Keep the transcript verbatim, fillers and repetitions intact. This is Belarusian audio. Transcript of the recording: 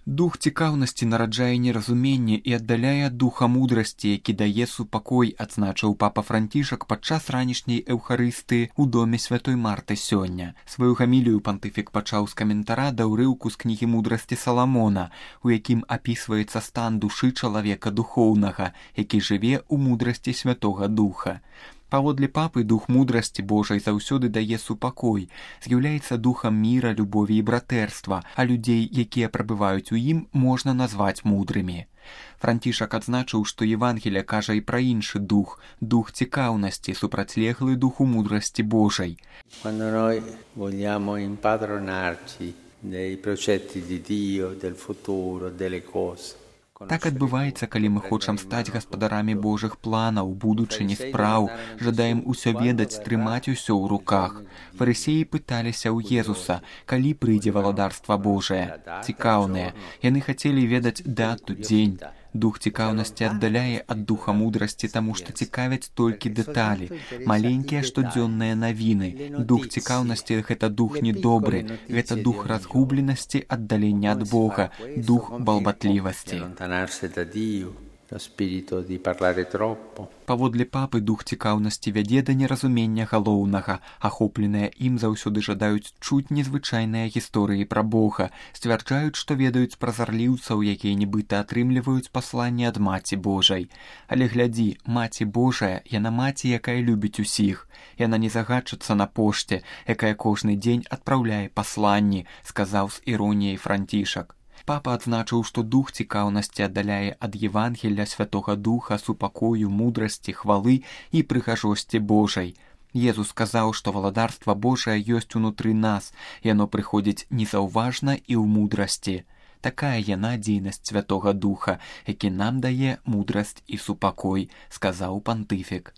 Дух цікаўнасці нараджае неразуменне і аддаляе ад духа мудрасці, які дае супакой, адзначыў папа Францішак падчас ранішняй эўхарыстыі ў доме святой Марты сёння. Сваю гамілію пантыфік пачаў з каментара да ўрыўку з кнігі мудрасці Саламона, у якім апісваецца стан душы чалавека духоўнага, які жыве ў мудрасці святога духа. Паводле папы, дух мудрасці Божай заўсёды дае супакой, з'яўляецца духам міра, любові і братэрства, а людзей, якія прабываюць у ім, можна назваць мудрымі. Францішак адзначыў, што Евангелие кажа і пра іншы дух, дух цікаўнасці, супрацьлеглы духу мудрасці Божай. Quando noi vogliamo impadronarci dei precetti di Dio, del futuro, delle cose. Так адбываецца, калі мы хочам стаць гаспадарамі Божых планаў, будучыні спраў, жадаем усё ведаць, трымаць усё ў руках. Фарысеі пыталіся ў Езуса, калі прыйдзе валадарства Божае. Цікаўныя. Яны хацелі ведаць дату, дзень. Дух цікаўнасці аддаляе ад духа мудрасці, таму што цікавяць толькі дэталі, маленькія штодзённыя навіны. Дух цікаўнасці – гэта дух недобры, гэта дух разгубленасці, аддалення ад Бога, дух балбатлівасці. Паводле папы, дух цікаўнасці вядзе да неразумення галоўнага. Ахопленыя ім заўсёды жадаюць чуць незвычайныя гісторыі пра Бога, сцвярджаюць, што ведаюць празарліўцаў, якія нібыта атрымліваюць пасланне ад Маці Божай. Але глядзі, Маці Божая, яна маці, якая любіць усіх. Яна не загадчыцца на пошце, якая кожны дзень адпраўляе пасланні, сказаў з іроніяй Францішак. Папа адзначыў, што дух цікаўнасці аддаляе ад Евангелля, святога духа, супакою, мудрасці, хвалы і прыгажосці Божай. Езус сказаў, што валадарства Божае ёсць унутры нас, яно прыходзіць незаўважна і ў мудрасці. Такая яна дзейнасць святога духа, які нам дае мудрасць і супакой, сказаў пантыфік.